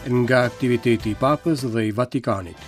Nga aktiviteti i Papës dhe i Vatikanit.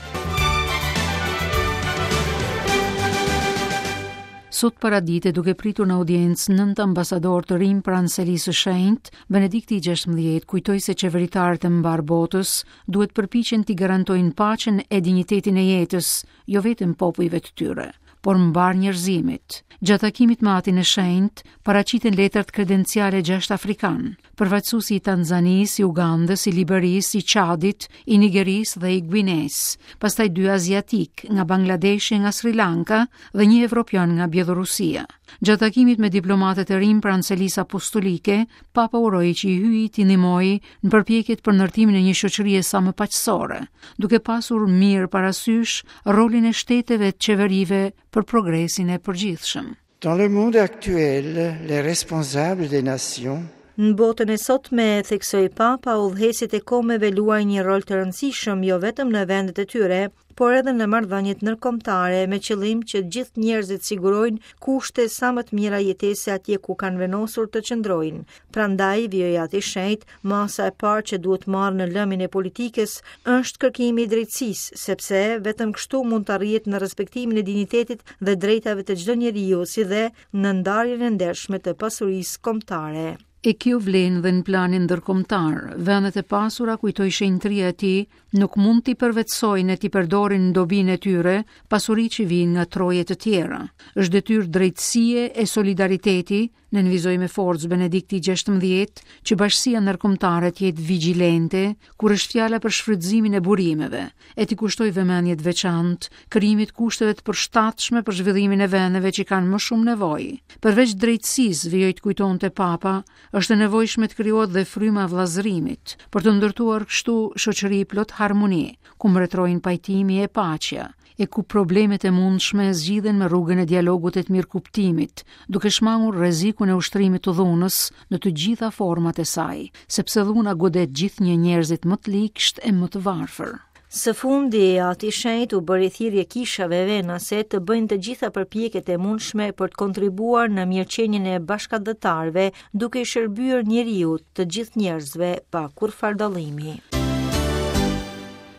Sot paradite duke pritur në audiencë nëntë ambasadorë të rinj pranë Selisë së Shenjtë, Benedikti i 16 kujtoi se qeveritarët e mbarë botës duhet përpiqen t'i garantojnë paqen e dinjitetin e jetës, jo vetëm popujve të tyre, por mbarë njerëzimit. Gjatë takimit me Atin e Shenjtë, paraqiten letrat kredenciale gjashtë afrikanë, përfaqësuesi i Tanzanisë, i Ugandës, i Liberisë, i Çadit, i Nigerisë dhe i Guinesë, pastaj dy aziatikë, nga Bangladeshi e nga Sri Lanka dhe një evropian nga Bjellorusia. Gjatë takimit me diplomatët e rinj pranë Selisë Apostolike, Papa uroi që i Hyji t'i ndihmojë në përpjekjet për ndërtimin e një shoqërie sa më paqësore, duke pasur mirë parasysh rolin e shteteve e të qeverive për progresin e përgjithshëm. Dans le monde actuel, les responsables des nations Në botën e sotme, theksoi Papa, udhëheqësit e kombeve luajnë një rol të rëndësishëm jo vetëm në vendet e tyre, por edhe në marrëdhëniet ndërkombëtare me qëllim që gjithë njerëzit sigurojnë kushte sa më të mira jetese atje ku kanë vendosur të qëndrojnë. Prandaj, vijoi Ati i Shenjtë, masa e parë që duhet marrë në lëmin e politikës është kërkimi i drejtësisë, sepse vetëm kështu mund të arrihet në respektimin e dinjitetit dhe drejtave të çdo njeriu, si dhe në ndarjen e ndershme të pasurisë kombëtare. E kjo vlen dhe në planin ndërkombëtar. Vendet e pasura, kujtoi shenjtëria e tij, nuk mund t'i përvetësojnë e t'i përdorin në dobinë e tyre pasuritë që vijnë nga troje të tjera. Është detyrë drejtësie e solidariteti, nënvizoi me forcë Benedikti XVI, që bashkësia ndërkombëtare të jetë vigjilente kur është fjala për shfrytëzimin e burimeve, e t'i kushtojë vëmendje të veçantë krijimit të kushteve të përshtatshme për zhvillimin e vendeve që kanë më shumë nevojë. Përveç drejtësisë, vijoi të kujtonte Papa, është e nevojshme të krijohet dhe fryma e vëllazërimit, për të ndërtuar kështu shoqëri plot harmoni, ku mbretërojnë pajtimi e paqja, e ku problemet e mundshme zgjidhen me rrugën e dialogut e të mirëkuptimit, duke shmangur rrezikun e ushtrimit të dhunës në të gjitha format e saj, sepse dhuna godet gjithnjë njerëzit më të ligshtë e më të varfër. Së fundi, Ati i Shenjtë u bëri thirrje kishave venase të bëjnë të gjitha përpjekjet e mundshme për të kontribuar në mirëqenien e bashkatdhetarëve, duke i shërbyer njeriut, të gjithë njerëzve, pa kurrfarë dallimi.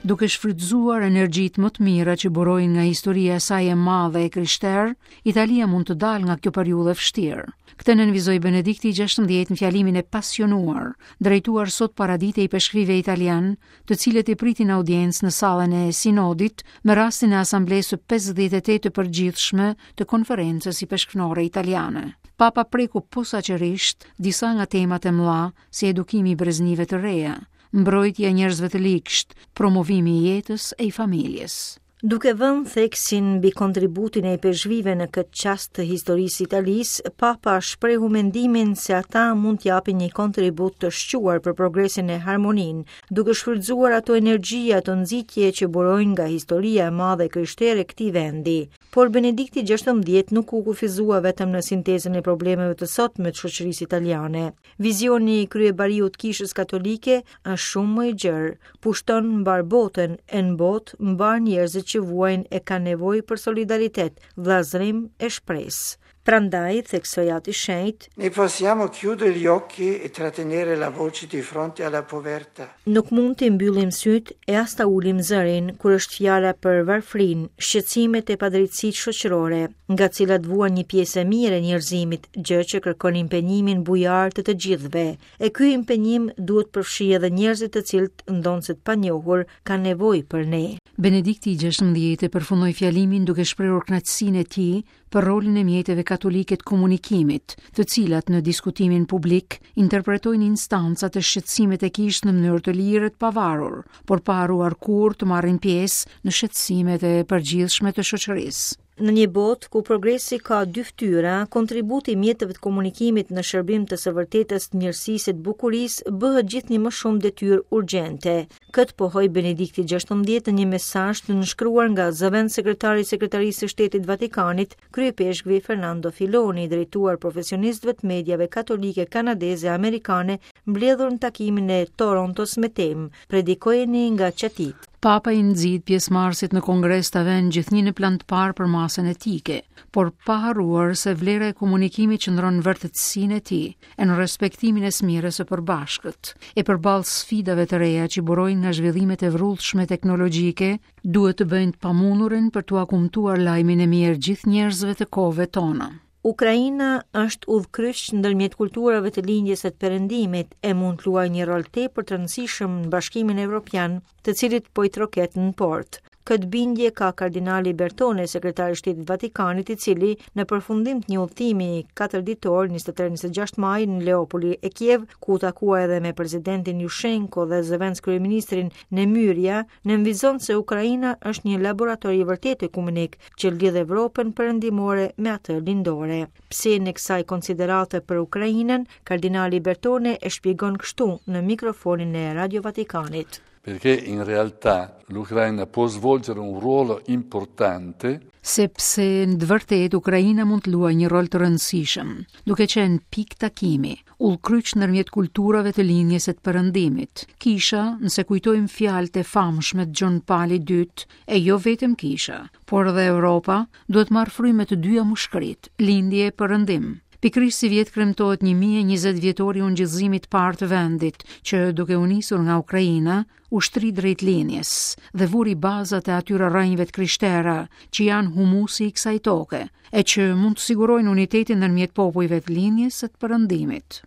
Duke shfrytëzuar energjitë më të mira që burojnë nga historia e saj e madhe e krishterë, Italia mund të dalë nga kjo periudhë e vështirë. Këtë nënvizoi Benedikti i XVI në fjalimin e pasionuar, drejtuar sot paradite ipeshkvijve italianë, të cilët i priti në audiencë në sallën e Sinodit me rastin e Asamblesë së 58 të përgjithshme të Konferencës Ipeshkvnore Italiane. Papa preku posaçërisht disa nga temat e mëdha si edukimi i breznive të reja, mbrojtja e njerëzve të ligshtë, promovimi i jetës e i familjes. Duke vënë theksin mbi kontributin e ipeshkvijve në këtë çast të historisë së Italisë, Papa shprehu mendimin se ata mund të japin një kontribut të shquar për progresin e harmoninë, duke shfrytëzuar ato energji, ato nxitje që burojnë nga historia e madhe e krishterë e këtij vendi. Por Benedikti XVI nuk u kufizua vetëm në sintezën e problemeve të sotme të shoqërisë italiane. Vizioni i kryebariut të Kishës Katolike është shumë më i gjerë, pushton mbarë botën e në botë mbarë njerëzit që vuajnë e kanë nevojë për solidaritet, vëllazërim e shpresë. Prandaj, theksoi Ati i Shenjtë, Ne possiamo chiudere gli occhi e trattenere la voce di fronte alla povertà. Nuk mund t'i mbyllim sytë e as ta ulim zërin kur është fjala për varfërinë, shqetësimet e padrejtësitë shoqërore, nga të cilat vuan një pjesë e mirë e njerëzimit, gjë që kërkon impenjimin bujar të të gjithëve. E ky impenjim duhet përfshijë edhe njerëzit të cilët, ndonëse të panjohur, kanë nevojë për ne. Benedikti i XVI e përfundoi fjalimin duke shprehur kënaqësinë e tij për rolin e mjeteve katolike të komunikimit, të cilat në diskutimin publik interpretojnë instancat e shqetësimet e kishës në mënyrë të lirë e të pavarur, por pa harruar kurrë të marrin pjesë në shqetësimet e përgjithshme të shoqërisë. Në një botë ku progresi ka dy fytyra, kontributi i mjeteve të komunikimit në shërbim të së vërtetës, të mirësisë e të bukurisë bëhet gjithnjë më shumë detyrë urgjente. Këtë pohoi Benedikti XVI në një mesazh të nënshkruar nga zëvendëssekretari i Sekretarisë së Shtetit të Vatikanit, kryeipeshkvi Fernando Filoni, drejtuar profesionistëve të mediave katolike kanadeze e amerikane mbledhur në takimin e Torontos me temë Predikojeni nga çatitë. Papa i nxit pjesëmarrësit në kongres ta vënë gjithnjë në plan të parë përmasën etike, por pa harruar se vlera e komunikimit qëndron në vërtetësinë e tij, e në respektimin e së mirës së përbashkët. E përballë sfidave të reja që burojnë nga zhvillimet e vrullshme teknologjike, duhet të bëjnë të pamundurin për t'ua kumtuar lajmin e mirë gjithë njerëzve të kohëve tona. Ukraina është udhëkryq ndërmjet kulturave të lindjes e të perëndimit e mund të luajë një rol tepër të rëndësishëm në Bashkimin Evropian, të cilit po i troket në portë. Këtë bindje ka kardinali Bertone, sekretari i Shtetit të Vatikanit, i cili në përfundim të një udhëtimi 4 ditor 23-26 maj në Leopoli e Kiev, ku u takua edhe me presidentin Jushenko dhe zëvendëskryeministrin Nemyrja, nënvizon se Ukraina është një laborator i vërtetë ekumenik që lidh Evropën perëndimore me atë lindore. Psenë e kësaj konsiderate për Ukrainën, kardinali Bertone e shpjegon kështu në mikrofonin e Radio Vatikanit. Perché in realtà l'Ucraina può svolgere un ruolo importante sepse në të vërtetë Ukraina mund të luajë një rol të rëndësishëm, duke qenë pikë takimi, udhëkryq ndërmjet kulturave të lindjes e të perëndimit. Kisha, nëse kujtojmë fjalët e famshme të Gjon Palit II, e jo vetëm kisha, por edhe Europa, duhet marrë frymë me të dyja mushkëritë, lindje e perëndim. Pikërisht sivjet kremtohet 1020 vjetori i ungjillëzimit të parë të vendit, që duke u nisur nga Ukraina, u shtri drejt lindjes dhe vuri bazat e atyre rrënjëve të krishtera që janë humusi i kësaj toke, e që mund të sigurojnë unitetin ndërmjet popujve të lindjes e të perëndimit.